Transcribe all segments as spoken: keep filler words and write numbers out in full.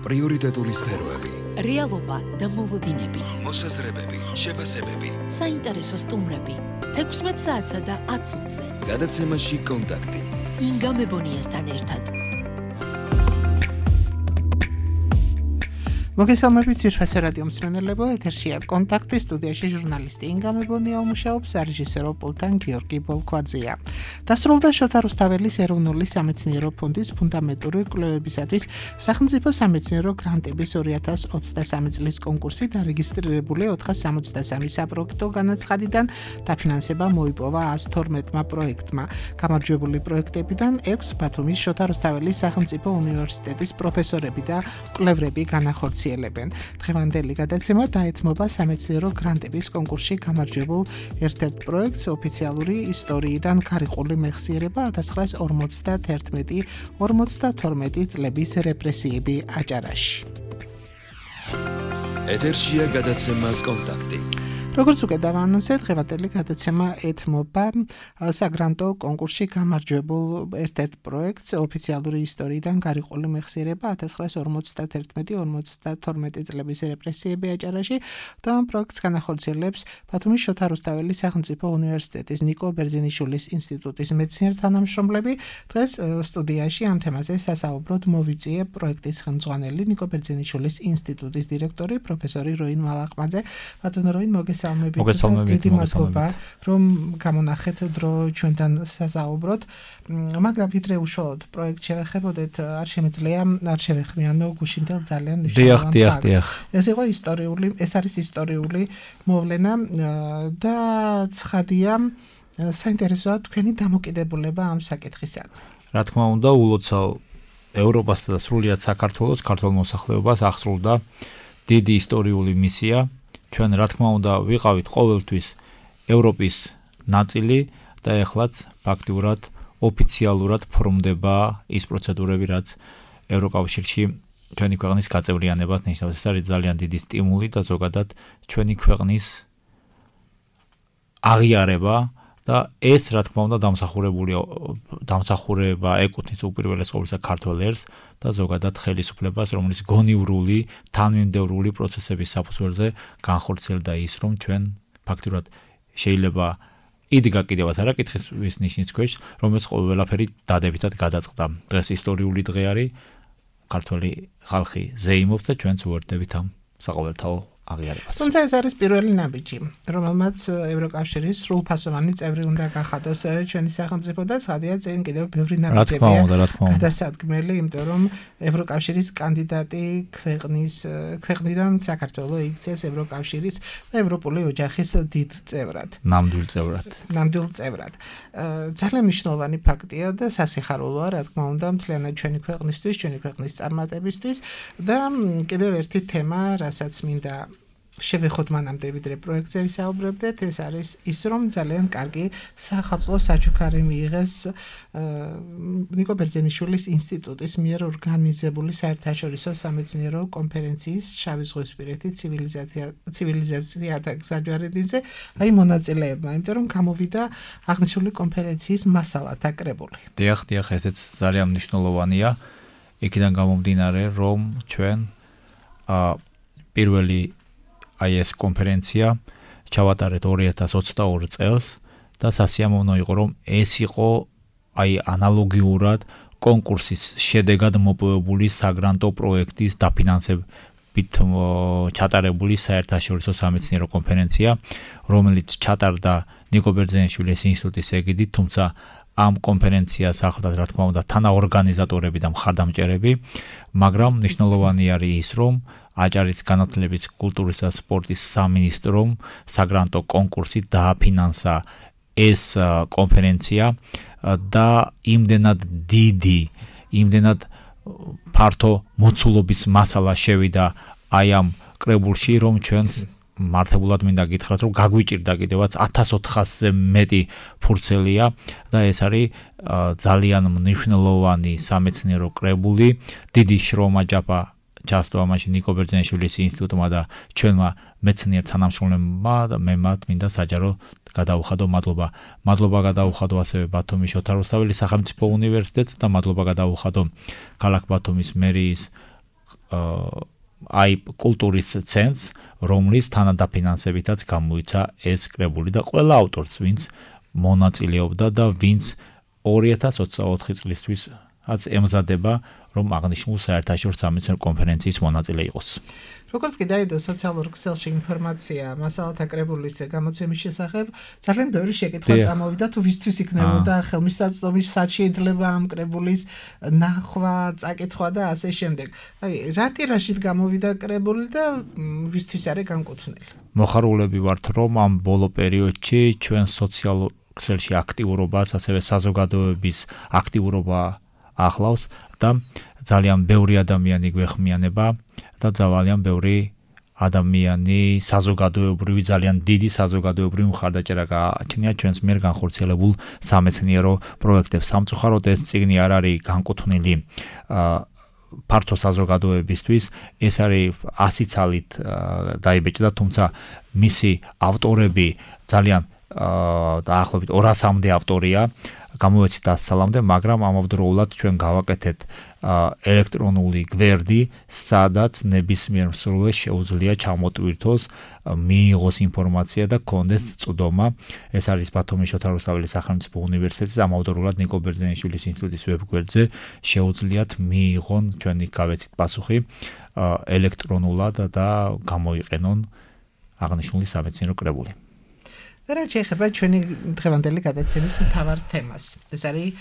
პრიორიტეტული სფეროები, რეალობა და მოლოდინები, მოსაზრებები, შეფასებები, საინტერესო სტუმრები, თექვსმეტ საათსა და ათ წუთზე. გადაცემაში კონტაქტი. ინგა მებონიასთან ერთად. მოგესალმებით ძირფასი რადიო მსმენელებო, ეთერშია კონტაქტი, სტუდიაში ჟურნალისტი ინგა მებონია უმუშაობს, რეჟისორო პულტან გიორგი ბოლქვაძეა. დასრულდა შოთა რუსთაველის ეროვნული სამეცნიერო ფონდის ფუნდამენტური კვლევებისათვის სახელმწიფო სამეცნიერო გრანტების ორი ათას ოცდასამი წლის კონკურსი დარეგისტრირებული ოთხას სამოცდასამი საპროექტო განაცხადიდან დაფინანსება მოიპოვა ას თორმეტმა პროექტმა. გამარჯვებული პროექტებიდან ექვს ბათუმის შოთა რუსთაველის სახელმწიფო უნივერსიტეტის პროფესორები და კვლევრები განახორციელებენ. დღევანდელი გადაცემა დაეთმობა სამეცნიერო გრანტების კონკურსში გამარჯვებულ ერთ-ერთ პროექტს ოფიციალური ისტორიიდან გარიყული მეხსიერება ათას ცხრაას ორმოცდათერთმეტი ორმოცდათორმეტი წლების რეპრესიები აჭარაში. ეთერშია გადაცემა კონტაქტი. როგორც უკვე დავაანონსეთ, დღევანდელი გადაცემა ეთმობა საგრანტო კონკურსში გამარჯვებულ ერთ-ერთ პროექტს ოფიციალური ისტორიიდან გარიყული მეხსიერება ათას ცხრაას ორმოცდათერთმეტი ორმოცდათორმეტი წლების რეპრესიები აჭარაში და ამ პროექტს განახორციელებს ბათუმის შოთა რუსთაველის სახელმწიფო უნივერსიტეტის ნიკო ბერძენიშვილის ინსტიტუტის მეცნიერ-თანამშრომლები. დღეს სტუდიაში ამ თემაზე სასაუბროდ მოვიწვიე პროექტის ხელმძღვანელი ნიკო ბერძენიშვილის ინსტიტუტის დირექტორი პროფესორი როინ მალაყმაძე. ბატონო როინ, მოგესალმებით. დიდი მადლობა, რომ გამონახეთ დრო ჩვენთან სასაუბროთ. მაგრამ ვიდრე უშუალოდ პროექტ შევეხებოდეთ, არ შემიძლია არ შევეხმიანო გუშინდელ ძალიან მნიშვნელოვან ფაქტს. ეს იყო ისტორიული, ეს არის ისტორიული მოვლენა და ცხადია, საინტერესოა თქვენი დამოკიდებულება ამ საკითხისადმი. რა თქმა უნდა, ულოცავ ევროპასა და სრულიად საქართველოს ქართულ მოსახლეობას აღსრულდა დიდი ისტორიული მისია. ჩვენ რა თქმა უნდა ვიყავით ყოველთვის ევროპის ნაწილი და ეხლაც ფაქტიურად ოფიციალურად ფორმდება ის პროცედურები, რაც ევროკავშირში ჩვენი ქვეყნის გაწევრიანებას ნიშნავს. ეს არის ძალიან დიდი სტიმული და ზოგადად ჩვენი ქვეყნის აღიარება და ეს რა თქმა უნდა დამსახურებული დამსახურება ეკუთვნის უპირველეს ყოვლისა ქართველ ერს და ზოგადად ხელისუფლებას, რომლის გონივრული, თანმიმდევრული პროცესების საფუძველზე განხორციელდა ის, რომ ჩვენ ფაქტურად შეიძლება იდგა კიდევაც არა კითხვის ნიშნის ქვეშ, რომელიც ყველაფერი დადებითად გადაწყდა. დღეს ისტორიული დღე არის, ქართველი ხალხი ზეიმობს და ჩვენც უერთდებით ამ საყოველთაო აღიარებას. თუმცა ეს არის პირველი ნაბიჯი, რომელმაც ევროკავშირის სრულფასოვანი წევრი უნდა გახადოს ჩვენი სახელმწიფო და ცხადია წინ კიდევ ბევრი ნაბიჯებია გადასადგმელი, იმიტომ რომ ევროკავშირის კანდიდატი ქვეყნის ქვეყნიდან საქართველოს იქცეს ევროკავშირის და ევროპული ოჯახის დიდ წევრად. ნამდვილ წევრად. ნამდვილ წევრად. ძალიან მნიშვნელოვანი ფაქტია და სასიხარულოა, რა თქმა უნდა, მთლიანად ჩვენი ქვეყნისთვის, ჩვენი ქვეყნის წარმატებისთვის და კიდევ ერთი თემა, რასაც მინდა შევეხოთ მანამდე ვიდრე პროექტზე ვისაუბრებდეთ, ეს არის ის, რომ ძალიან კარგი სახალხო საჩუქარი მიიღეს ნიკო ბერძენიშვილის ინსტიტუტის მიერ ორგანიზებული საერთაშორისო სამეცნიერო კონფერენციის შავი ზღვისპირეთი ცივილიზაცია ცივილიზაციათა გზაჯვარედინზე აი მონაწილეებმა, იმიტომ რომ გამოვიდა აღნიშნული კონფერენციის მასალათა კრებული. დიახ, დიახ, ესეც ძალიან მნიშვნელოვანია. იქიდან გამომდინარე, რომ ჩვენ პირველი აი ეს კონფერენცია ჩავატარეთ ორი ათას ოცდაორი წელს და სასიამოვნო იყო, რომ ეს იყო აი ანალოგიურად კონკურსის შედეგად მოპოვებული საგრანტო პროექტის დაფინანსებით ჩატარებული საერთაშორისო სამეცნიერო კონფერენცია, რომელიც ჩატარდა ნიკო ბერძენიშვილის ინსტიტუტის ეგიდით, თუმცა ამ კონფერენციას ახლდათ რა თქმა უნდა თანაორგანიზატორები და მხარდამჭერები, მაგრამ მნიშვნელოვანი არის ის, რომ აჭარის განათლების, კულტურის და სპორტის სამინისტრომ საგრანტო კონკურსით დააფინანსა ეს კონფერენცია და იმდენად დიდი, იმდენად ფართო მოცულობის მასალა შევიდა აი ამ კრებულში, რომ ჩვენს მართებულად მინდა გითხრათ, რომ გაგვიჭირდა კიდევაც ათას ოთხასზე მეტი ფურცელია და ეს არის ძალიან მნიშვნელოვანი სამეცნიერო კრებული, დიდი შრომა ჯაფა ჩასწვა მაშინ ნიკო ბერძენიშვილის ინსტიტუტმა და ჩვენმა მეცნიერ თანამშრომლებმა და მე მათ მინდა საჯარო გადაუხადო მადლობა. მადლობა გადაუხადო ასევე ბათუმის შოთა რუსთაველის სახელმწიფო უნივერსიტეტს და მადლობა გადაუხადო ქალაქ ბათუმის მერიის აი კულტურის ცენტრს, რომლის თანადაფინანსებითაც გამოიცა ეს კრებული და ყველა ავტორს, ვინც მონაწილეობდა და ვინც ორი ათას ოცდაოთხი წლისთვის აც ემზადება, რომ აღნიშნულ საერთაშორისო სამეცნიერო კონფერენციის მონაწილე იყოს. როგორც კი დაიდო სოციალურ ქსელში ინფორმაცია მასალათა კრებულის გამოცემის შესახებ, ძალიან ბევრი შეკითხვა წამოვიდა, თუ ვისთვის იქნებოდა ხელმისაწვდომი, სად შეიძლება ამ კრებულის ნახვა, წაკითხვა და ასე შემდეგ. აი, რა ტირაჟით გამოვიდა კრებული და ვისთვის არის განკუთვნილი? მოხარულები ვართ, რომ ამ ბოლო პერიოდში ჩვენ სოციალურ ქსელში აქტიურობას, ასევე საზოგადოების აქტიურობა ახლავს და ძალიან ბევრი ადამიანი გვეხმიანება და ძალიან ბევრი ადამიანი საზოგადოებრივი, ძალიან დიდი საზოგადოებრივი მხარდაჭერა გააჩნია ჩვენს მიერ განხორციელებულ სამეცნიერო პროექტებს. სამწუხაროდ ეს წიგნი არ არის განკუთვნილი ფართო საზოგადოებისთვის, ეს არის ასი ცალით დაიბეჭდა, თუმცა მისი ავტორები ძალიან დაახლოებით ორასამდე ავტორია გამოეცით ასწლამდე, მაგრამ ამავდროულად ჩვენ გავაკეთეთ ელექტრონული გვერდი, სადაც ნებისმიერ მსურველს შეუძლია ჩამოტვირთოს, მიიღოს ინფორმაცია და კონდეს წვდომა. ეს არის ბათუმის შოთა რუსთაველის სახელმწიფო უნივერსიტეტის, ამავდროულად ნიკო ბერძენიშვილის ინსტიტუტის ვებგვერდზე შეუძლიათ მიიღონ ჩვენი გავეცით პასუხი ელექტრონულად და გამოიყენონ აღნიშნული სამეცნიერო კრებული. რა შეიძლება ჩვენი დღევანდელი გადაცემის მთავარ თემას. ეს არის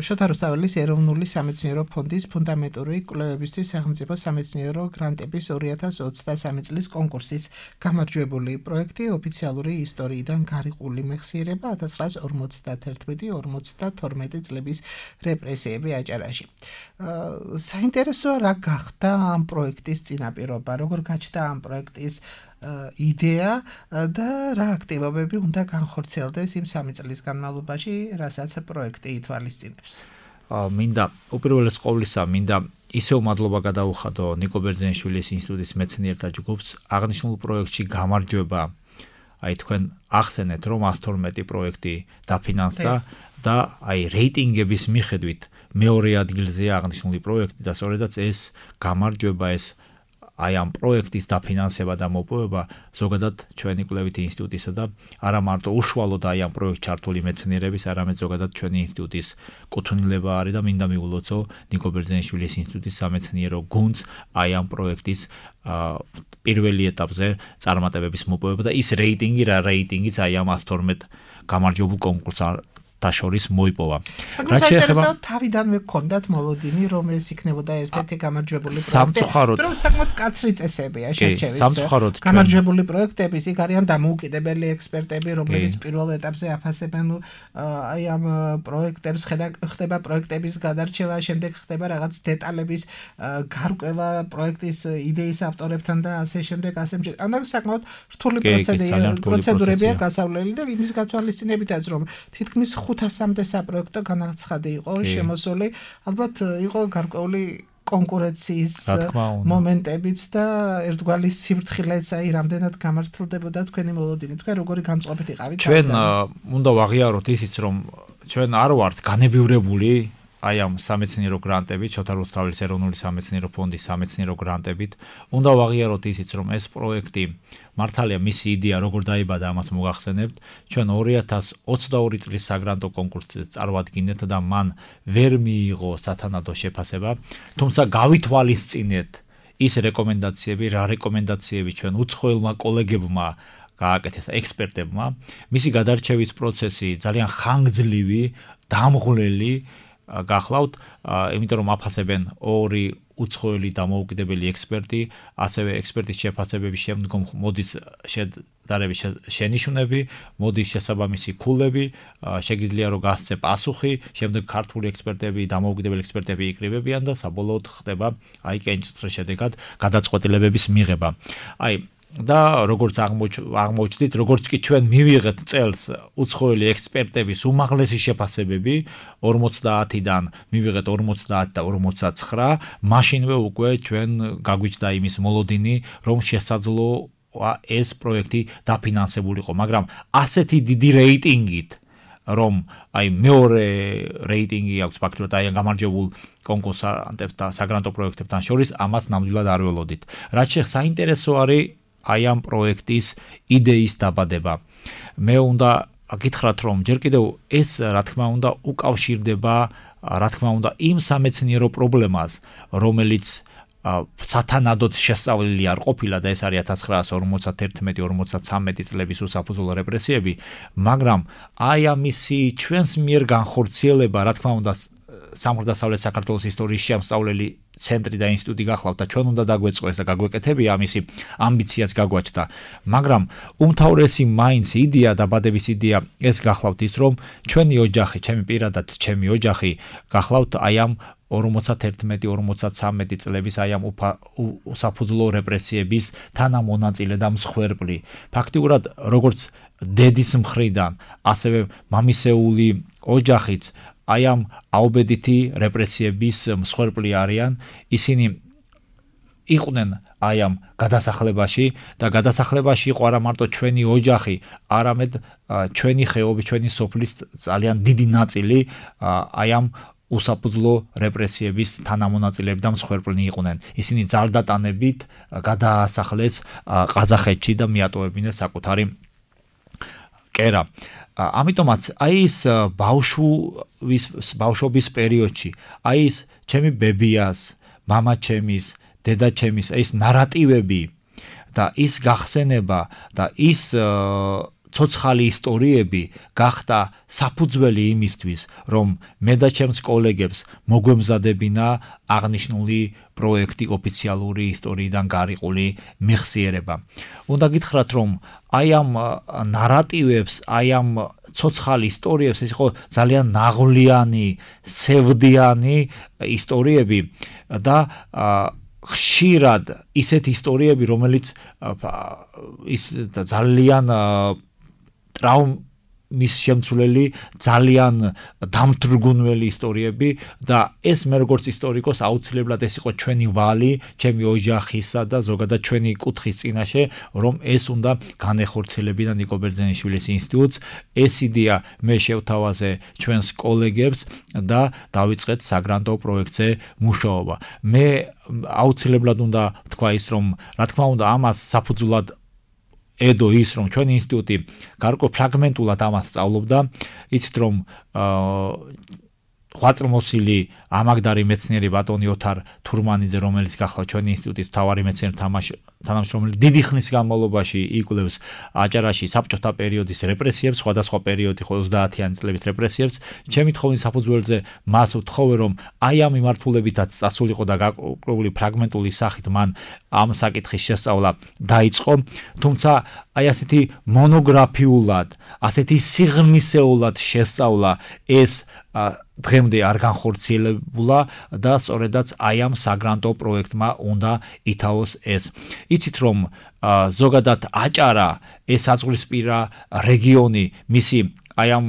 შოთა რუსთაველის ეროვნული სამეცნიერო ფონდის ფუნდამენტური კვლევებისთვის სახელმწიფო სამეცნიერო გრანტების ორი ათას ოცდასამი წლის კონკურსის გამარჯვებული პროექტი ოფიციალური ისტორიიდან გარიყული მეხსიერება ათას ცხრაას ორმოცდათერთმეტი ორმოცდათორმეტი წლების რეპრესიები აჭარაში. საინტერესოა რა გახდა ამ პროექტის წინაპირობა, როგორ გაჩნდა ამ პროექტის იდეა და რა აქტივობები უნდა განხორციელდეს იმ სამი წლის განმავლობაში, რასაც პროექტი ითვალისწინებს. მინდა უპირველეს ყოვლისა, მინდა ისევ მადლობა გადაუხადო ნიკო ბერძენიშვილის ინსტიტუტის მეცნიერთა ჯგუფს აღნიშნულ პროექტში გამარჯვება. აი თქვენ ახსენეთ, რომ ათას თორმეტი პროექტი დაფინანსდა და აი რეიტინგების მიხედვით მეორე ადგილზეა აღნიშნული პროექტი და სწორედაც ეს გამარჯვება, ეს აი ამ პროექტის დაფინანსება და მოპოვება ზოგადად ჩვენი კვლევითი ინსტიტუტისა და არა მარტო უშუალოდ აი ამ პროექტში ჩართული მეცნიერების, არამედ ზოგადად ჩვენი ინსტიტუტის კუთვნილება არის და მინდა მიულოცო ნიკო ბერძენიშვილის ინსტიტუტის სამეცნიერო გუნდს აი ამ პროექტის პირველი ეტაპზე წარმატებების მოპოვება და ის რეიტინგი, რა რეიტინგიც აი ამ ათას თორმეტ გამარჯვებულ კონკურსს შორის მოიპოვა. რა შეეხება თავიდანვე გქონდათ მოლოდინი, რომ ეს იქნებოდა ერთ-ერთი გამარჯვებული პროექტი. სამწუხაროდ რომ საკმაოდ კაცრი წესებია შერჩევის. სამწუხაროდ გამარჯვებული პროექტების იქ არიან დამოუკიდებელი ექსპერტები, რომლებიც პირველ ეტაპზე აფასებენ აი ამ პროექტებს, ხდება პროექტების გადარჩევა, შემდეგ ხდება რაღაც დეტალების გარკვევა პროექტის იდეის ავტორებთან და ასე შემდეგ, ასე შემდეგ. ანუ საკმაოდ რთული პროცედურებია გასავლელი და იმის გათვალისწინებითაც რომ თითქმის ხუთასამდე საპროექტო განაცხადი იყო შემოსული, ალბათ იყო გარკვეული კონკურენციის მომენტებიც და ერთგვარი სიფრთხილეც აი რამდენად გამართლდებოდა თქვენი მოლოდინი. თქვენ როგორი გამწყობით იყავით? ჩვენ უნდა ვაღიაროთ ისიც, რომ ჩვენ არ ვართ განებივრებული აი ამ სამეცნიერო გრანტებით, შოთა რუსთაველის ეროვნული სამეცნიერო ფონდის სამეცნიერო გრანტებით. უნდა ვაღიაროთ ისიც, რომ ეს პროექტი მართალია მისი იდეა როგორ დაიბადა, ამას მოგახსენებთ. ჩვენ ორი ათას ოცდაორი წლის საგრანტო კონკურსზე წარვადგინეთ და მან ვერ მიიღო სათანადო შეფასება, თუმცა გავითვალისწინეთ ის რეკომენდაციები, რა რეკომენდაციები ჩვენ უცხოელმა კოლეგებმა გააკეთეს ექსპერტებმა, მისი გადარჩევის პროცესი ძალიან ხანგრძლივი, დამღლელი გახლავთ, იმიტომ რომ აფასებენ ორი უცხოელი დამოუკიდებელი ექსპერტი, ასევე ექსპერტის შეფასებების შემდგომ მოდის შედარების შენიშვნები, მოდის შესაბამისი ქულები, შეგიძლია რომ გასცე პასუხი, შემდეგ ქართული ექსპერტები, დამოუკიდებელი ექსპერტები იკრიბებიან და საბოლოოდ ხდება აი კენჭისყრის შედეგად გადაწყვეტილებების მიღება. აი და როგორც აღმოჩნდით, როგორც კი ჩვენ მივიღეთ წელს უცხოელი ექსპერტების უმაღლესი შეფასებები ორმოცდაათიდან მივიღეთ ორმოცდაათი და ორმოცდაცხრა, მაშინვე უკვე ჩვენ გაგვიჩნდა იმის მოლოდინი, რომ შესაძლოა ეს პროექტი დაფინანსებულიყო, მაგრამ ასეთი დიდი რეიტინგით რომ აი მეორე რეიტინგი აქვს ფაქტობრივად აი გამარჯვებულ კონკურსანტებს და საგრანტო პროექტებთან შორის ამას ნამდვილად არ ველოდით. რაც შეხ საინტერესო არის აი ამ პროექტის იდეის დაბადება. მე უნდა გითხრათ რომ ჯერ კიდევ ეს რა თქმა უნდა უკავშირდება რა თქმა უნდა იმ სამეცნიერო პრობლემას, რომელიც სათანადოდ შესწავლილი არ ყოფილა და ეს არის ათას ცხრაასი ორმოცდაერთმეტი ორმოცდათვრამეტი წლების უსაფუძვლო რეპრესიები, მაგრამ აი ამისი ჩვენს მიერ განხორციელება, რა თქმა უნდა სამხრეთ-დასავლეთ საქართველოს ისტორიის შემსწავლელი ცენტრი და ინსტიტუტი გახლავთ და ჩვენ უნდა დაგვეწყოს და გაგვეკეთებია ამისი ამბიციაც გაგვაჩნდა, მაგრამ უმთავრესი მაინც იდეა დაბადების იდეა ეს გახლავთ ის რომ ჩვენი ოჯახი, ჩემი პირადად ჩემი ოჯახი გახლავთ აი ამ ორმოცდაერთმეტი ორმოცდათვრამეტი წლების აი ამ უსაფუძვლო რეპრესიების თანამონაწილე და მსხვერპლი. ფაქტიურად როგორც დედის მხრიდან, ასევე მამისეული ოჯახიც აი ამ აუბედითი რეპრესიების მსხვერპლი არიან, ისინი იყვნენ აი ამ გადასახლებაში და გადასახლებაში იყო არა მარტო ჩვენი ოჯახი, არამედ ჩვენი ხეობის, ჩვენი სოფლის ძალიან დიდი ნაწილი აი ამ უსაფუძვლო რეპრესიების თანამონაწილეები და მსხვერპლნი იყვნენ. ისინი ძალდატანებით გადაასახლეს ყაზახეთში და მიატოვებინეს საკუთარი კერა. ამიტომაც აი ეს ბავშვის ბავშვობის პერიოდში, აი ეს ჩემი ბებიას, მამა ჩემის, დედა ჩემის, ეს ნარატივები და ის გახსენება და ის ცოცხალი ისტორიები გახდა საფუძველი იმისთვის, რომ მე და ჩემს კოლეგებს მოგვემზადებინა აღნიშნული პროექტი ოფიციალური ისტორიიდან გარიყული მეხსიერება. უნდა გითხრათ, რომ აი ამ ნარატივებს, აი ამ ცოცხალ ისტორიებს ეს იყო ძალიან ნაღვლიანი, სევდიანი ისტორიები და ხშირად ისეთი ისტორიები, რომელიც ის ძალიან ტრაუმის შემცვლელი, ძალიან დამთრგუნველი ისტორიები და ეს მე როგორც ისტორიკოს აუცილებლად ეს იყო ჩვენი ვალი, ჩემი ოჯახისა და ზოგადად ჩვენი კუთხის წინაშე, რომ ეს უნდა განეხორციელებინა ნიკო ბერძენიშვილის ინსტიტუტს. ეს იდეა მე შევთავაზე ჩვენს კოლეგებს და დავიწყეთ საგრანტო პროექტზე მუშაობა. მე აუცილებლად უნდა თქვა ის, რომ რა თქმა უნდა ამას საფუძვლად ედო ის, რომ ჩვენი ინსტიტუტი გარკვეულ ფრაგმენტულად ამას სწავლობდა, იცით რომ ღვაწლმოსილი ამაგდარი მეცნიერი ბატონი ოთარ თურმანიძე, რომელიც გახლავთ ჩვენი ინსტიტუტის მთავარი მეცნიერი თანამშრომელი, დიდი ხნის განმავლობაში იკვლევს აჭარაში საბჭოთა პერიოდის რეპრესიებს, სხვადასხვა პერიოდი ოცდაათიანი წლების რეპრესიებს. ჩემი თხოვნის საფუძველზე მას ვთხოვე, რომ აი ამ მიმართულებითაც წასულიყო და გარკვეული ფრაგმენტული სახით მან ამ საკითხის შესწავლა დაიწყო, თუმცა აი ასეთი მონოგრაფიულად, ასეთი სიღრმისეულად შესწავლა ეს დღემდე არ განხორციელებულა და სწორედაც აი ამ საგრანტო პროექტმა უნდა ითავოს ეს. იცით რომ ზოგადად აჭარა ეს აზღვრისპირა რეგიონი მისი აი ამ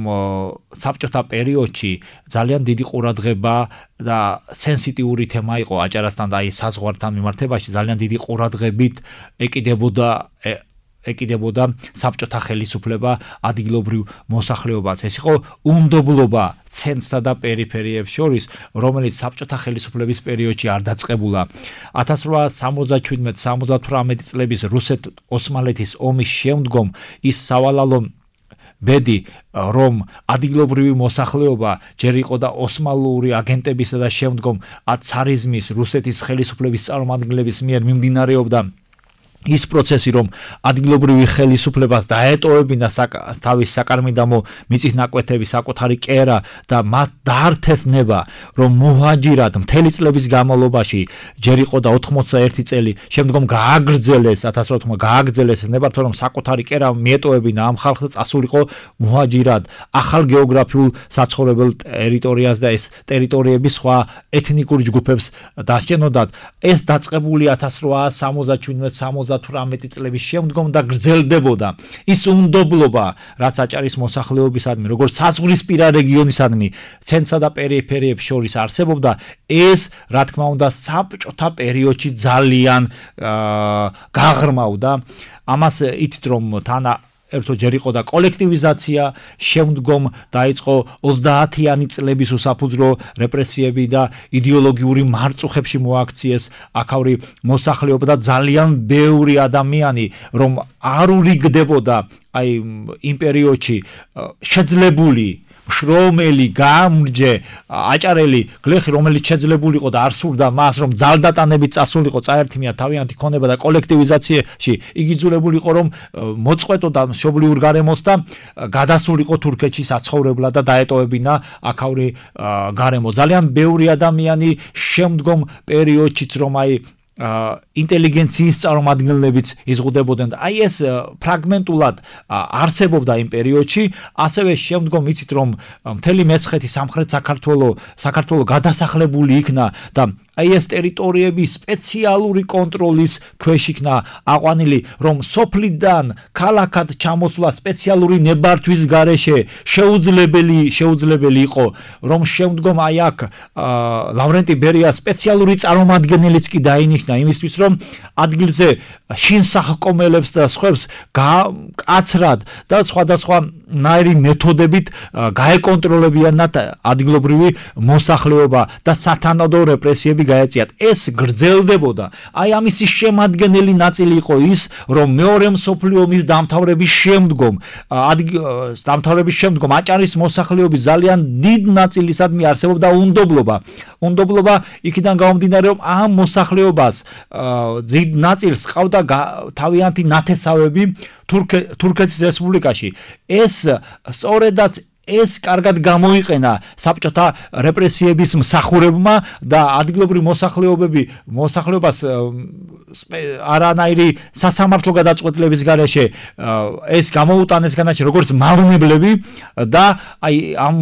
საბჭოთა პერიოდში ძალიან დიდი ყურადღება და სენსიტიური თემა იყო აჭარასთან და აი საზღვართან მიმართებაში ძალიან დიდი ყურადღებით ეკიდებოდა ეკიდებოდა საბჭოთა ხელისუფლება ადგილობრივ მოსახლეობას. ეს იყო უნდობლობა ცენტრსა და პერიფერიებს შორის, რომელიც საბჭოთა ხელისუფლების პერიოდში არ დაწყებულა. ათას რვაასი სამოცდაჩვიდმეტი სამოცდათვრამეტი წლების რუსეთ-ოსმალეთის ომის შემდგომ ის სავალალო ბედი, რომ ადგილობრივი მოსახლეობა ჯერ იყო და ოსმალური აგენტებისა და შემდგომ ცარიზმის რუსეთის ხელისუფლების წარმომადგენლების მიერ მიმდინარეობდა ის პროცესი, რომ ადგილობრივი ხელისუფლებას დაეტოვებინა თავის საკარმიდამო მიწის ნაკვეთების საკუთარი კერა და მათ დაართεθნება, რომ მუჰაჯირად მთელი წლების განმავლობაში ჯერ იყო და ოთხმოცდაერთი წელი, შემდგომ გააგრძელეს ათას რვაასი გააგრძელეს ნებართვა, რომ საკუთარი კერა მიეტოვებინა ამ ხალხს და წასულიყო მუჰაჯირად ახალ გეოგრაფიულ საცხოვრებელ ტერიტორიას და ეს ტერიტორიები სხვა ეთნიკურ ჯგუფებს დასჭენოდათ. ეს დაწყებული ათას რვაასი სამოცდაჩვიდმეტი სამოცდათვრამეტი წლების შემდგომ და გრძელდებოდა. ის უნდობლობა, რაც აჭარის მოსახლეობისადმი, როგორც საზღვრისპირა რეგიონისადმი, ცენტრსა და პერიფერიებს შორის არსებობდა, ეს, რა თქმა უნდა, საბჭოთა პერიოდში ძალიან გაღრმავდა. ამას იცით, რომ თან ერთო ჯერ იყო და კოლექტივიზაცია, შემდგომ დაიწყო ოცდაათიანი წლების უსაფუძვლო რეპრესიები და იდეოლოგიური მარწუხებში მოაქციეს აქაური მოსახლეობა და ძალიან ბევრი ადამიანი, რომ არ ურიგდებოდა აი იმ პერიოდში შეძლებული შრომელი, გამრჯე, აჭარელი გლეხი, რომელიც შეძლებული იყო და არ სურდა მას, რომ ძალდატანებით წასულიყო, წაერთმია თავიანთი ქონება და კოლექტივიზაციაში იგი ძურებული იყო, რომ მოწყვეტოდა მშობლიურ გარემოს და გადასულიყო თურქეთში საცხოვრებლად და დაეტოვებინა აქაური გარემო. ძალიან ბევრი ადამიანი შემდგომ პერიოდშიც რომ აი ინტელიგენციის წარმომადგენლებიც იზღუდებოდნენ და აი ეს ფრაგმენტულად არსებობდა იმ პერიოდში, ასევე შემდგომ იცით რომ მთელი მესხეთი სამხრეთ საქართველოს საქართველოს გადასახლებული იქნა და აი ეს ტერიტორიები სპეციალური კონტროლის ქვეშ იქნა აყვანილი, რომ სოფლიდან ქალაქად ჩამოსვლა სპეციალური ნებართვის გარეშე შეუძლებელი შეუძლებელი იყო, რომ შემდგომ აი აქ ლავრენტი ბერია სპეციალური წარმომადგენელიც კი დაინიშნა იმისთვის, რომ ადგილზე შინსახკომელებს და სხვებს კაცრად და სხვადასხვა ნაირი მეთოდებით გაეკონტროლებიანად ადგილობრივი მოსახლეობა და სათანადო რეპრესიები გაეწიათ. ეს გრძელდებოდა. აი ამისი შემადგენელი ნაწილი იყო ის, რომ მეორე მსოფლიო ომის დამთავრების შემდგომ დამთავრების შემდგომ აჭარის მოსახლეობის ძალიან დიდ ნაწილისადმი არსებობდა უნდობლობა. უნდობლობა იქიდან გამომდინარე, რომ ამ მოსახლეობას დიდ ნაწილს ყავდა თავიანთი ნათესავები თურქეთის რესპუბლიკაში. ეს სწორედაც ეს კარგად გამოიყენა საბჭოთა რეპრესიების მსახურებმა და ადგილობრივი მოსახლეობები მოსახლეობას არანაირი სასამართლო გადაწყვეტილების გარეშე ეს გამოუტანეს განაჩენი როგორც მავნებლები და აი ამ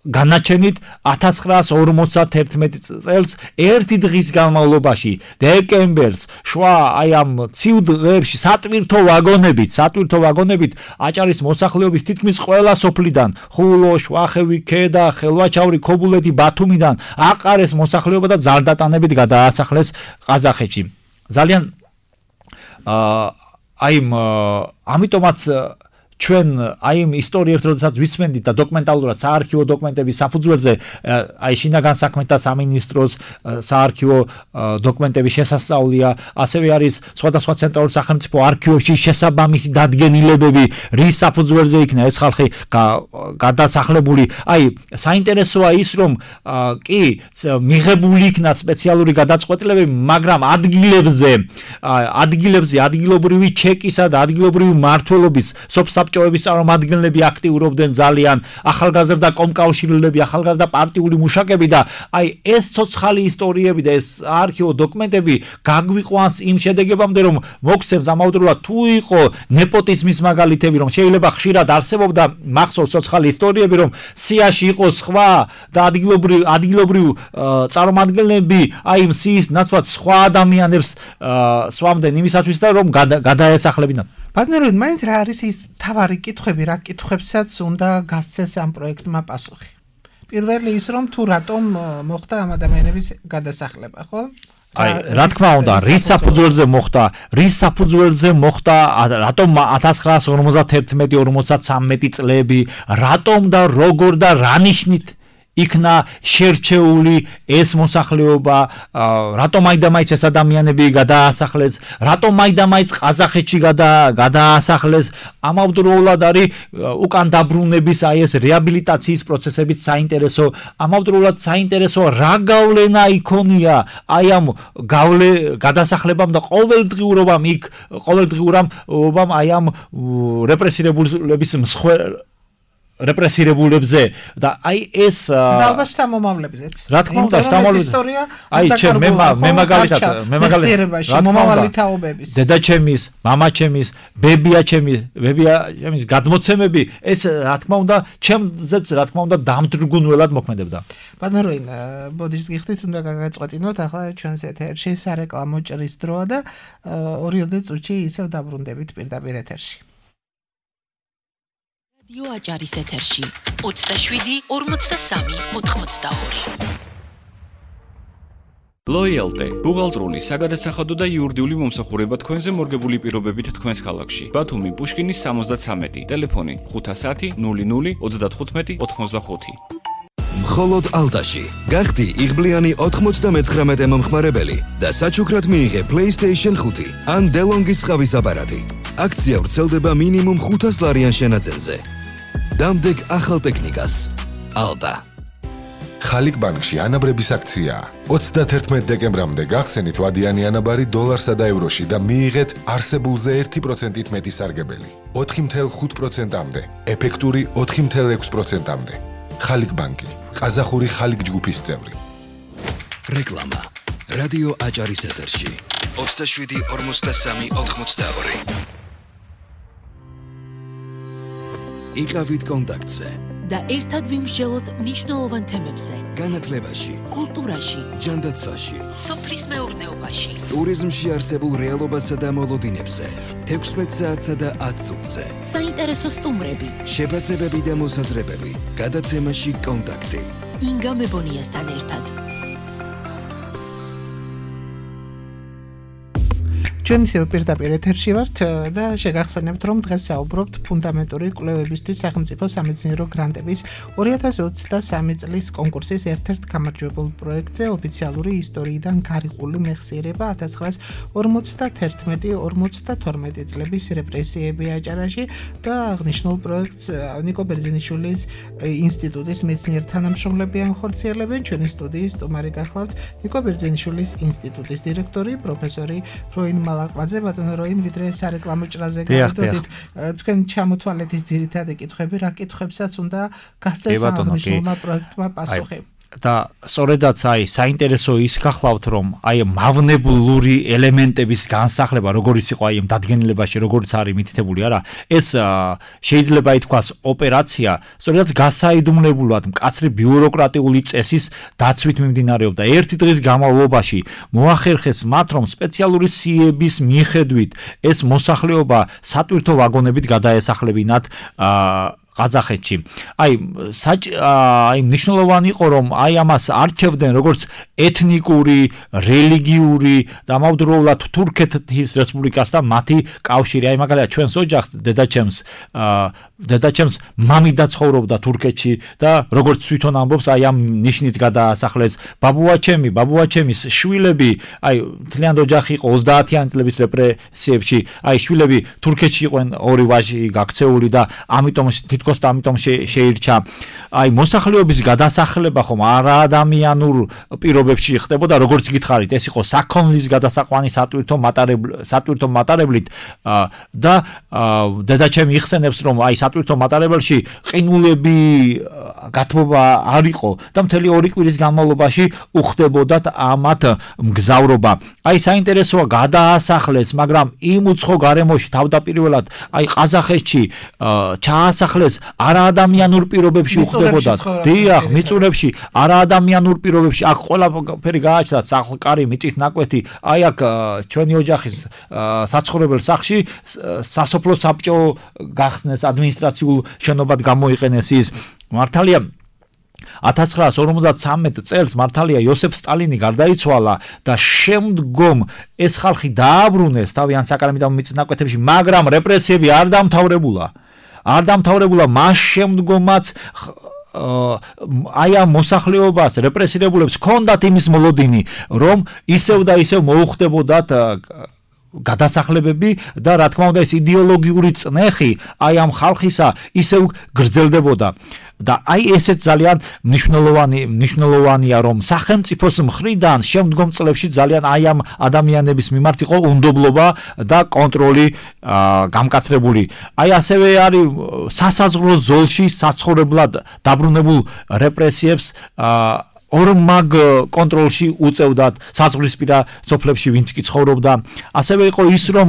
განაჩენით ათას ცხრაას ორმოცდაერთმეტი წელს ერთი დღის განმავლობაში დეკემბერს შუა აი ამ ცივ დღეებში სატვირთო ვაგონებით სატვირთო ვაგონებით აჭარის მოსახლეობის თითქმის ყველა სოფლიდან ხულო, შვახევი, ქედა, ხელვაჩავრი, ქობულეთი, ბათუმიდან აყარეს მოსახლეობა და ძალდატანებით გადაასახლეს ყაზახეთში. ძალიან აი ამიტომაც ჩვენ აი იმ ისტორიებს როდესაც ვისმენდით და დოკუმენტალურად საარქივო დოკუმენტების საფუძველზე აი შინაგან საქმეთა სამინისტროს საარქივო დოკუმენტების შესასწავლია, ასევე არის სხვადასხვა ცენტრალურ სახელმწიფო არქივებში შესაბამისი დადგენილებები, რის საფუძველზე იქნა ეს ხალხი გადასახლებული. აი საინტერესოა ის, რომ კი მიღებული იქნა სპეციალური გადაწყვეტილებები, მაგრამ ადგილებზე ადგილებზე ადგილობრივი ჩეკისა და ადგილობრივი მმართველობის საბჭოების წარმომადგენლები აქტიურობდნენ ძალიან, ახალგაზრდა კომკავშირლები, ახალგაზრდა პარტიული მუშაკები და აი ეს ცოცხალი ისტორიები და ეს არქივო დოკუმენტები გაგვიყვანს იმ შედეგებამდე, რომ მოგცემს ამავდროულად თუ იყო ნეპოტიზმის მაგალითები, რომ შეიძლება ხშირად არსებობდა მახსოვს ცოცხალი ისტორიები, რომ სიაში იყო სხვა და ადგილობრივ ადგილობრივ წარმომადგენლები აი იმ სიის ნაცვლად სხვა ადამიანებს სვამდნენ იმისათვის და რომ გადაესახლებინათ. ბატონო, მაინც რა არის ის თავარი კითხვები, რა კითხვებსაც უნდა გასცეს ამ პროექტმა პასუხი? პირველი ის, რომ თუ რატომ მოხდა ამ ადამიანების გადასახლება, ხო? აი, რა თქმა უნდა, რის საფუძველზე მოხდა, რის საფუძველზე მოხდა, რატომ ათას ცხრაას ორმოცდაერთმეტი ორმოცდათვრამეტი წლები, რატომ და როგორ და რა ნიშნით იქნა შერჩეული ეს მოსახლეობა, რატომ აიდამაიც ეს ადამიანები გადაასახლეს, რატომ აიდამაიც ყაზახეთში გადაასახლეს, ამავდროულად არის უკან დაბრუნების აი ეს რეაბილიტაციის პროცესებით საინტერესო, ამავდროულად საინტერესო რა გავლენა იქონია აი ამ გავლე გადასახლებამ და ყოველდღიურობამ იქ ყოველდღიურობამ აი ამ რეპრესირებულების მსხვერპლ რეპრესირებულებზე და აი ეს და ალბათ შთამომავლებზეც. რა თქმა უნდა, შთამომავლებს ისტორია აი ჩემ მე მე მაგალითად მე მაგალითად მომავალი თაობების დედაჩემის, მამაჩემის, ბებიაჩემის, ბებიაჩემის გადმოცემები ეს რა თქმა უნდა ჩემზეც რა თქმა უნდა დამძრგუნველად მოქმედებდა. ბატონოინ, ბოდიშს გიხდით, უნდა გაგაწყვეტინოთ ახლა ჩვენს ეთერში სარეკლამო ჭრის დროა და ორიოდე წუთში ისევ დაბრუნდებით პირდაპირ ეთერში. რადიო აჭარის ეთერში ოცდაშვიდი ორმოცდასამი ოთხმოცდაორი Loyalty ბუღალტრული, საგადასახადო და იურიდიული მომსახურება თქვენზე მორგებული პირობებით თქვენს ქალაქში. ბათუმი, პუშკინის სამოცდათსამეტი, ტელეფონი ხუთასათი ნული ნული ოცდათხუთმეტი ოთხმოცდახუთი. მხოლოდ ალტაში გახდი იღბლიანი ოთხმოცდამეცხრამეტე მომხმარებელი და საჩუქრად მიიღე PlayStation ხუთი ან DeLonghi სხავის აპარატი. აქცია ვრცელდება მინიმუმ ხუთას ლარიან შენაძენზე. დამდეგ ახალ ტექნიკას. ალტა. ხალიკ ბანკში ანაბრების აქცია. ოცდათერთმეტ დეკემბრამდე გახსენით ვადიანი ანაბარი დოლარსა და ევროში და მიიღეთ არსებულზე ერთი პროცენტით მეტი სარგებელი. ოთხი ათეული ხუთ პროცენტამდე, ეფექტური ოთხი ათეული ექვსი პროცენტამდე. ხალიკ ბანკი, ყაზახური ხალიკ ჯგუფის წევრი. რეკლამა. რადიო აჭარის ეთერში. ოცდაშვიდი ორმოცდასამი ოთხმოცდაორი. იყავით კონტაქტზე. და ერთად ვიმსჯელოთ მნიშვნელოვან თემებზე. განათლებაში, კულტურაში, ჯანდაცვაში, სოფლის მეურნეობაში, ტურიზმში არსებულ რეალობასა და მოლოდინებზე, თექვსმეტ საათსა და ათ წუთზე. საინტერესო სტუმრები, შეფასებები და მოსაზრებები. გადაცემაში კონტაქტი. ინგა მებონიასთან ერთად. ჩვენ ისევ პირდაპირ ეთერში ვართ და შეგახსენებთ, რომ დღეს საუბრობთ ფუნდამენტური კვლევებისთვის სახელმწიფო სამეცნიერო გრანტების ორი ათას ოცდასამი წლის კონკურსის ერთ-ერთ გამარჯვებულ პროექტზე ოფიციალური ისტორიიდან გარიყული მეხსიერება ათას ცხრაას ორმოცდათერთმეტი ორმოცდათორმეტი წლების რეპრესიები აჭარაში და აღნიშნულ პროექტს ნიკო ბერძენიშვილის ინსტიტუტის მეცნიერ თანამშრომლები ახორციელებენ. ჩვენი სტუდიის სტუმარი გახლავთ ნიკო ბერძენიშვილის ინსტიტუტის დირექტორი პროფესორი როინ ლაყმაძე. ბატონო როინ, ვიდრე სარეკლამო ჭრაზე გავიდოდით, თქვენ ჩამოთვალეთ ის ძირითადი კითხვები, რა კითხვებსაც უნდა გასცეს აღნიშნულმა პროექტმა პასუხი. და სწორედაც აი საინტერესო ის გახლავთ, რომ აი მავნებლური ელემენტების განსახლება, როგორიც იყო აი დადგენილებაში, როგორც არის მითითებული, არა, ეს შეიძლება ითქვას ოპერაცია, სწორედაც გასაიდუმლებლად მკაცრი ბიუროკრატიული წესის დაცვით მიმდინარეობდა. ერთი დღის განმავლობაში მოახერხეს მათ, რომ სპეციალური სიების მიხედვით ეს მოსახლეობა სატვირთო ვაგონებით გადაესახლებინათ ყაზახეთში. აი აი მნიშვნელოვანი იყო, რომ აი ამას არჩევდნენ როგორც ეთნიკური, რელიგიური და ამავდროულად თურქეთის რესპუბლიკასთან მათი კავშირი. აი მაგალითად ჩვენს ოჯახს დედაჩემს დედაჩემს მამი და ცხოვრობდა თურქეთში და როგორც თვითონ ამბობს, აი ამ ნიშნით გადაასახლეს. ბაბუაჩემი, ბაბუაჩემის შვილები, აი მთლიანი ოჯახი იყო ოცდაათიანი წლების რეპრესიებში. აი შვილები თურქეთში იყვნენ ორი ვაჟი გაქცეული და ამიტომ თითქოს და ამიტომ შეირჩა. აი მოსახლეობის გადასახლება ხომ არაადამიანურ პირობებში ხდებოდა, როგორც გითხარით, ეს იყო საქონლის გადასაყვანი სატვირთო მატარებლით, სატვირთო მატარებლით და დედაჩემი იხსენებს, რომ აი სატვირთო მატარებელში ყინულები გათბობა არ იყო და მთელი ორი კვირის განმავლობაში უხდებოდათ ამათ მგზავრობა. აი საინტერესოა, გადაასახლეს, მაგრამ იმ უცხო გარემოში თავდაპირველად აი ყაზახეთში ჩაასახლეს არაადამიანურ პირობებში უხდებოდათ. დიახ, მიწურებში არაადამიანურ პირობებში. აქ ყველაფერი გააჩნდა, სახლკარი, მიწის ნაკვეთი. აი აქ ჩვენი ოჯახის საცხოვრებელ სახლში სასოფლო საბჭო გახსნეს, ადმინისტრაციულ შენობად გამოიყენეს ის. მართალია ათას ცხრაას ორმოცდათსამეტ წელს მართალია იოსებ სტალინი გარდაიცვალა და შემდგომ ეს ხალხი დააბრუნეს თავიანთ საკრამიდამო მიწის ნაკვეთებში, მაგრამ რეპრესიები არ დამთავრებულა. არ დამთავრებულა მას შემდგომაც აი ამ მოსახლეობას რეპრესირებულებს ჰქონდათ იმის მოლოდინი, რომ ისევ და ისევ მოუხდებოდათ გადასახლებები და რა თქმა უნდა ეს იდეოლოგიური წნეხი აი ამ ხალხისა ისევ გრძელდებოდა. და აი ესეც ძალიან მნიშვნელოვანი მნიშვნელოვანია, რომ სახელმწიფოს მხრიდან შემდგომ წლებში ძალიან აი ამ ადამიანების მიმართ იყო უნდობლობა და კონტროლი გამკაცრებული. აი ასევე არის სასაზღვრო ზოლში საცხოვრებლად დაბრუნებულ რეპრესიებს ორმაგ კონტროლში უწევდათ საზღვრისპირა სოფლებში, ვინც კი ცხოვრობდა. ასევე იყო ის, რომ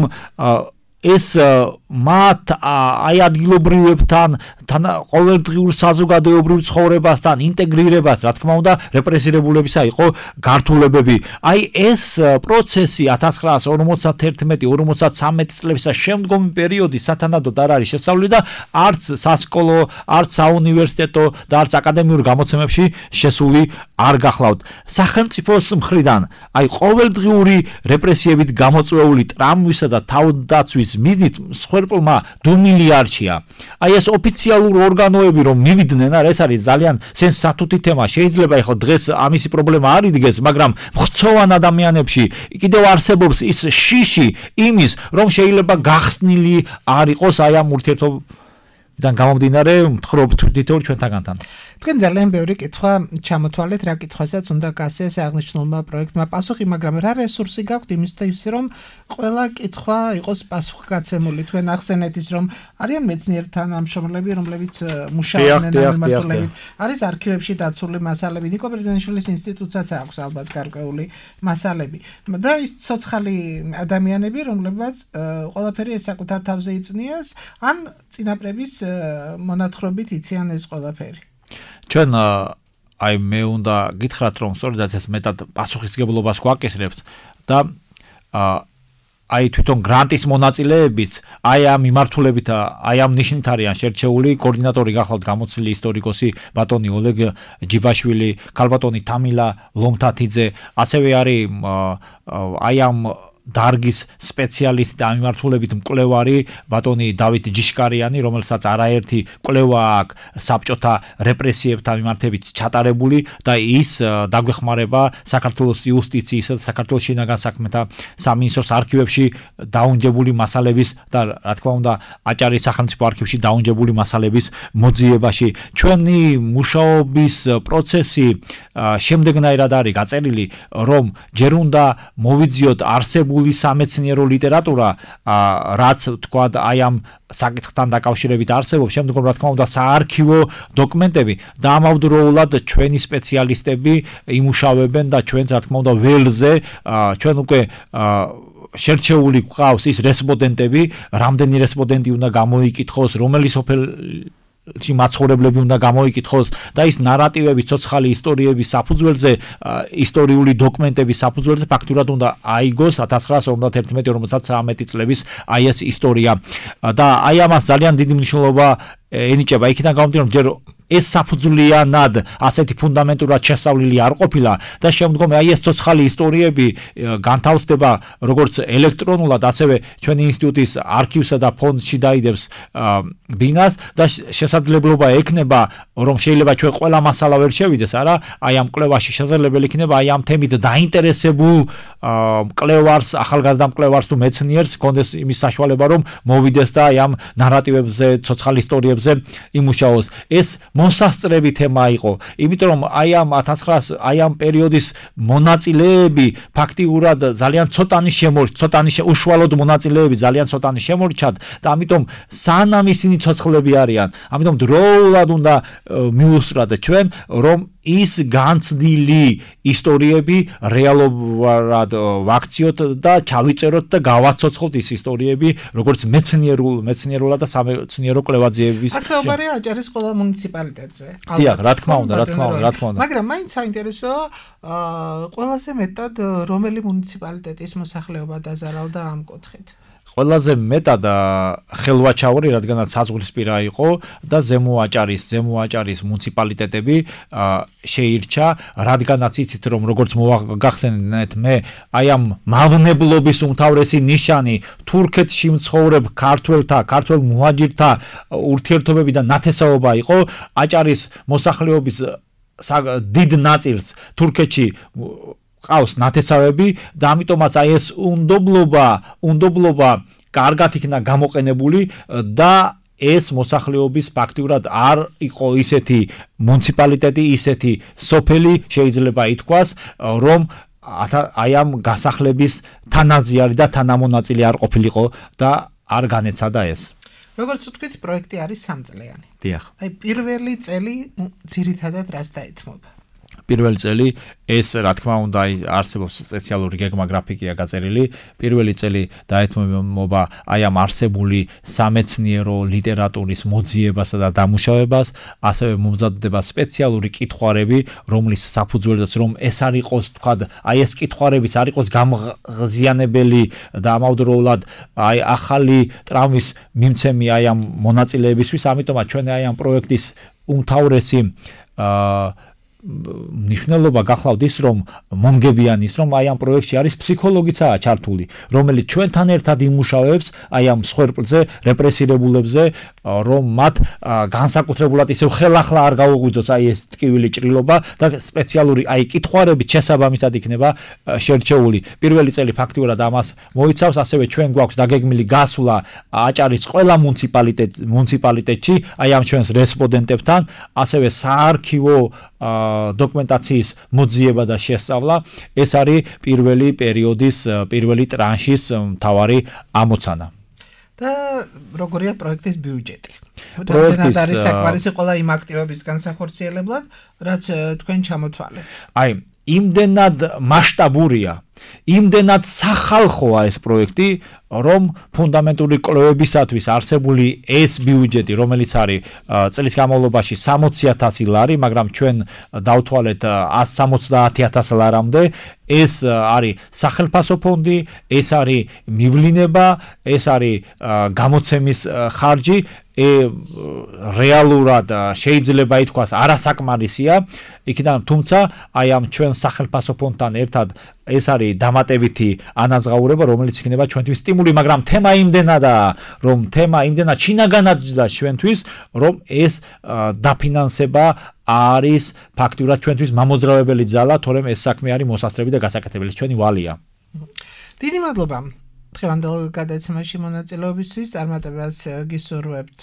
ეს მათ აი ადგილობრივებთან, თან ყოველდღიურ საზოგადოებრივ ცხოვრებასთან ინტეგრირებას, რა თქმა უნდა, რეპრესირებულებისა იყო გართულებები. აი ეს პროცესი ათას ცხრაას ორმოცდაათერთმეტი ორმოცდათვრამეტი წლების შემდგომი პერიოდი სათანადოდ არ არის შესწავლილი და არც სასკოლო, არც საუნივერსიტეტო და არც აკადემიურ გამოცემებში შესული არ გახლავთ. სახელმწიფოს მხრიდან აი ყოველდღიური რეპრესიებით გამოწვეული ტრამვისა და თავდაცვის მიზნით მსხვერპლმა დუმილი არჩია. აი ეს ოფიციალური ორგანოები რომ მივიდნენ, არა ეს არის ძალიან სენსატუთი თემა. შეიძლება ეხლა დღეს ამისი პრობლემა არ იდგეს, მაგრამ მხცოვან ადამიანებში კიდევ არსებობს ის შიში იმის, რომ შეიძლება გახსნილი არ იყოს აი ამ ურთიერთობიდან გამომდინარე მთხრობთ თითოეულ ჩვენთაგანთან. თქვენ ძალიან ბევრი კითხვა ჩამოთვალეთ, რა კითხვასაც უნდა გასცეს აღნიშნულმა პროექტმა პასუხი, მაგრამ რა რესურსი გაქვთ იმისთვის, რომ ყველა კითხვა იყოს პასუხგაცემული. თქვენ ახსენეთ ის, რომ არიან მეცნიერთა თანამშრომლები, რომლებიც მუშაობენ ამ მიმართულებით. არის არქივებში დაცული მასალები, ნიკო ბერძენიშვილის ინსტიტუტსაც აქვს ალბათ გარკვეული მასალები. და ის ცოცხალი ადამიანები, რომლებიც ყველაფერი ეს საკუთარ თავზე იწნიეს, ან წინაპრების მონათხრობით იციან ეს ყველაფერი. ჩვენ აი მე უნდა გითხრათ რომ სწორედაც ეს მეტად პასუხისმგებლობას გვაკისრებს და აი თვითონ გრანტის მონაწილეებიც აი ამ მიმართულებით აი ამ ნიშნით არიან შერჩეული. კოორდინატორი გახლავთ გამოცილი ისტორიკოსი ბატონი ოლეგ ჯიბაშვილი, ქალბატონი თამილა ლომთათიძე, ასევე არის აი ამ დარგის სპეციალისტი და მიმართულებით მკვლევარი ბატონი დავით ჯიშკარიანი, რომელსაც არაერთი კვლევა აქვს საბჭოთა რეპრესიებთან მიმართებით ჩატარებული და ის დაგვეხმარება საქართველოს იუსტიციის და საქართველოს შინაგან საქმეთა სამინისტროს არქივებში დაუნჯებული მასალების და რა თქმა უნდა აჭარის სახელმწიფო არქივში დაუნჯებული მასალების მოძიებაში. ჩვენი მუშაობის პროცესი შემდეგნაირად არის გაწერილი, რომ ჯერ უნდა მოვიძიოთ არსებულ სამეცნიერო ლიტერატურა, რაც თქვა აი ამ საკითხთან დაკავშირებით არსებობს, შემდგომ რა თქმა უნდა საარქივო დოკუმენტები და ამავდროულად ჩვენი სპეციალისტები იმუშავებენ და ჩვენც რა თქმა უნდა ველზე ჩვენ უკვე შერჩეული გვყავს ის რესპონდენტები, რამდენი რესპონდენტი უნდა გამოიკითხოს, რომელი სოფელი მაცხოვრებლები უნდა გამოიკითხოს და ის ნარატივები, ცოცხალი ისტორიების საფუძველზე, ისტორიული დოკუმენტების საფუძველზე ფაქტურად უნდა აიგოს ათას ცხრაას ორმოცდაათერთმეტი ორმოცდათვრამეტი წლების აი ეს ისტორია და აი ამას ძალიან დიდი მნიშვნელობა ენიჭება. იქიდან გამომდინარე, რომ ჯერ ეს საფუძვლიანად ასეთი ფუნდამენტურად შესწავლილი არ ყოფილა და შემდგომ აი ეს ცოცხალი ისტორიები განთავსდება როგორც ელექტრონულად, ასევე ჩვენი ინსტიტუტის არქივსა და ფონდში დაიდებს ბინას და შესაძლებლობა ექნება, რომ შეიძლება ჩვენ ყველა მასალა ვერ შევიდეს, არა, აი ამ კვლევაში შესაძლებელი იქნება აი ამ თემით დაინტერესებულ მკვლევარს, ახალგაზრდა მკვლევარს თუ მეცნიერს კონდეს იმის საშუალება, რომ მოვიდეს და აი ამ ნარატივებზე, ცოცხალ ისტორიებზე იმუშაოს. ეს მოსასწრები თემა იყო, იმიტომ რომ აი ამ ათას ცხრაას აი ამ პერიოდის მონაწილეები ფაქტიურად ძალიან ცოტანი შემორჩა, ცოტანი უშუალოდ მონაწილეები ძალიან ცოტანი შემორჩათ და ამიტომ სანამ ისინი ცოცხლები არიან, ამიტომ დროულად უნდა მიუსწრათ ჩვენ, რომ ის განცდილი ისტორიები რეალურად ვაქციოთ და ჩავიწეროთ და გავაცოცხლოთ ის ისტორიები, როგორც მეცნიერულ, მეცნიერულად და სამეცნიერო კვლევაძიების. ახალბარი აჭარის ყველა მუნიციპალიტეტზე. დიახ, რა თქმა უნდა, რა თქმა უნდა, რა თქმა უნდა. მაგრამ მაინც საინტერესოა, ყველაზე მეტად რომელი მუნიციპალიტეტის მოსახლეობა დაზარავდა ამ კუთხით. ყველაზე მეტად ხელვაჩაური, რადგანაც საზღვრისპირა იყო და ზემო აჭარის, ზემო აჭარის მუნიციპალიტეტები შეირჩა, რადგანაც იცით რომ როგორც მოგახსენეთ მე, აი ამ მავნებლობის უმთავრესი ნიშანი თურქეთში მცხოვრებ ქართველთა, ქართველ მუჰაჯირთა ურთიერთობები და ნათესაობა იყო. აჭარის მოსახლეობის დიდ ნაწილს თურქეთში ყავს ნათესავები და ამიტომაც აი ეს უნდობლობა, უნდობლობა კარგად იქნა გამოყენებული და ეს მოსახლეობის ფაქტიურად არ იყო ისეთი მუნიციპალიტეტი, ისეთი სოფელი შეიძლება ითქვას, რომ აი ამ გასახლების თანაზი არის და თანამონაწილე არ ყოფილიყო და არ განეცადა ეს. როგორც ვთქვით, პროექტი არის სამწლიანი. დიახ. აი პირველი წელი ძირითადად რას დაეთმობა? პირველი წელი ეს რა თქმა უნდა არსებობს სპეციალური გეგმა გრაფიკია გაწერილი. პირველი წელი დაეთმობა აი ამ არსებული სამეცნიერო ლიტერატურის მოძიებასა და დამუშავებას, ასევე მომზადდება სპეციალური კითხვარები, რომლის საფუძველზეც რომ ეს არ იყოს თქვა, აი ეს კითხვარებიც არ იყოს გამღზიანებელი და ამავდროულად აი ახალი ტრავმის მიმცემი აი ამ მონაწილეებისთვის, ამიტომაც ჩვენ აი ამ პროექტის უმთავრესი აა ნიშნულობა გახლავთ ის, რომ მომგებიანი ის, რომ აი ამ პროექტში არის ფსიქოლოგიცაა ჩართული, რომელიც ჩვენთან ერთად იმუშავებს აი ამ სხერპლზე, რეპრესირებულებზე, რომ მათ განსაკუთრებულად ისევ ხელახლა არ გაუღვიძოს აი ეს ტკივილი ჭრილობა და სპეციალური აი კითხვარებით შესაბამისად იქნება შერჩეული. პირველი წელი ფაქტიურად ამას მოიცავს, ასევე ჩვენ გვაქვს დაგეგმილი გასვლა აჭარის ყველა მუნიციპალიტეტ მუნიციპალიტეტში, აი ამ ჩვენს რესპონდენტებთან, ასევე საარქივო დოკუმენტაციის მოძიება და შესწავლა. ეს არის პირველი პერიოდის, პირველი ტრანშის მთავარი ამოცანა. და როგორია პროექტის ბიუჯეტი? პროექტის არის საკმარისი ყველა იმ აქტივობის განსახორციელებლად, რაც თქვენ ჩამოთვალეთ. აი, იმდენად მასშტაბურია, იმდენად სახალხოა ეს პროექტი, რომ ფუნდამენტური კვლევებისათვის არსებული ეს ბიუჯეტი, რომელიც არის წლის განმავლობაში სამოცი ათასი ლარი, მაგრამ ჩვენ დავთვალეთ ას სამოცდაათი ათასი ლარამდე, ეს არის სახელმწიფო ფონდი, ეს არის მივლინება, ეს არის გამოცემის ხარჯი, ე რეალურად შეიძლება ითქვას არასაკმარისია, იქიდან თუმცა აი ამ ჩვენ სახელმწიფო ფონდთან ერთად ეს არის დამატებითი ანაზღაურება, რომელიც იქნება ჩვენთვის სტიმული, მაგრამ თემა იმდენადაა, რომ თემა იმდენად შინაგანაძდა ჩვენთვის, რომ ეს დაფინანსება არის ფაქტურად ჩვენთვის მამოძრავებელი ძალა, თორემ ეს საქმე არის მოსასწრები და გასაკეთებელი, ჩვენი ვალია. დიდი მადლობა. დღევანდელ გადაცემაში მონაწილეობისთვის, წარმატებას გისურვებთ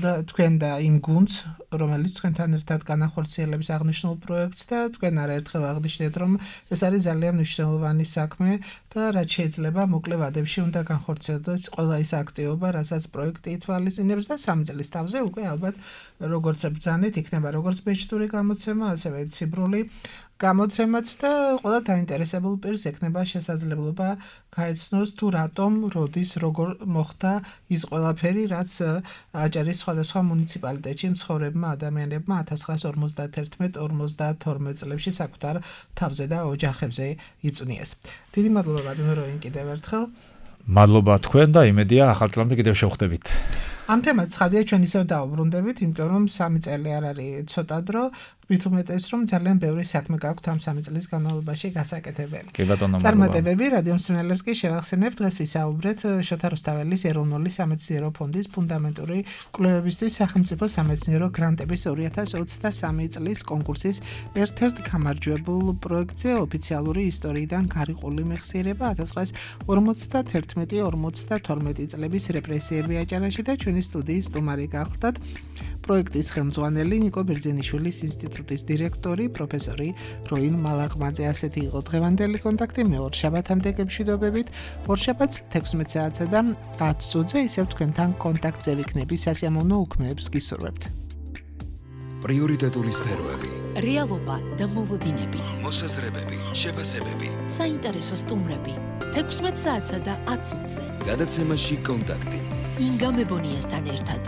და თქვენ და იმ გუნდს, რომელიც თქვენთან ერთად განახორციელებს აღნიშნულ პროექტს და თქვენ არაერთხელ აღნიშნეთ, რომ ეს არის ძალიან მნიშვნელოვანი საქმე და რაც შეიძლება მოკლე ვადებში უნდა განხორციელდეს ყველა ის აქტივობა, რასაც პროექტი ითვალისწინებს და სამი წლის თავზე უკვე ალბათ როგორც ბრძანეთ, იქნება როგორც ბეჭდური გამოცემა, ასევე ციბრული გამოცემაც და ყველა დაინტერესებულ პირს ექნება შესაძლებლობა გაეცნოს თუ რატომ, როდის, როგორ მოხდა ის ყველაფერი, რაც აჭარის სხვადასხვა მუნიციპალიტეტში მცხოვრებმა ადამიანებმა ათას ცხრაასი ორმოცდაათი ორმოცდათორმეტ წლებში საკუთარ თავზე და ოჯახებზე იწვნიეს. დიდი მადლობა ბატონო როინ კიდევ ერთხელ. მადლობა თქვენ და იმედია ახალ წლამდე კიდევ შევხვდებით. ამ თემას ცხადია ჩვენ ისევ დავუბრუნდებით, იმიტომ რომ სამი წელი არ არის ცოტა დრო, მით უმეტეს რომ ძალიან ბევრი საქმე გაქვთ ამ სამი წლის განმავლობაში გასაკეთებელი. კი ბატონო, მადლობა. წარმატებები რადიო მსმენელებს კი შევახსენებთ, დღეს ვისაუბრეთ შოთა რუსთაველის ეროვნული სამეცნიერო ფონდის ფუნდამენტური კვლევებისთვის სახელმწიფო სამეცნიერო გრანტების ორი ათას ოცდასამი წლის კონკურსის ერთ-ერთ გამარჯვებულ პროექტზე ოფიციალური ისტორიიდან გარიყული მეხსიერება ათას ცხრაასი ორმოცდათერთმეტი ორმოცდათორმეტი წლების რეპრესიები აჭარაში და ჩვენი სტუდიის სტუმარი გახლდათ პროექტის ხელმძღვანელი ნიკო ბერძენიშვილის ინსტიტუტის დირექტორი პროფესორი როინ მალაღმაძე. ასეთი იყო დღევანდელი კონტაქტი. მე ორშაბათამდე გემშვიდობებით. ორშაბათს თექვსმეტ საათსა და ათ წუთზე ისევ თქვენთან კონტაქტზე ვიქნები. სასიამოვნო უქმეებს გისურვებთ. პრიორიტეტული სფეროები, რეალობა და მოლოდინები, მოსაზრებები, შეფასებები, საინტერესო სტუმრები. თექვსმეტ საათსა და ათ წუთზე. გადაცემაში კონტაქტი. ინგა მებონიასთან ერთად.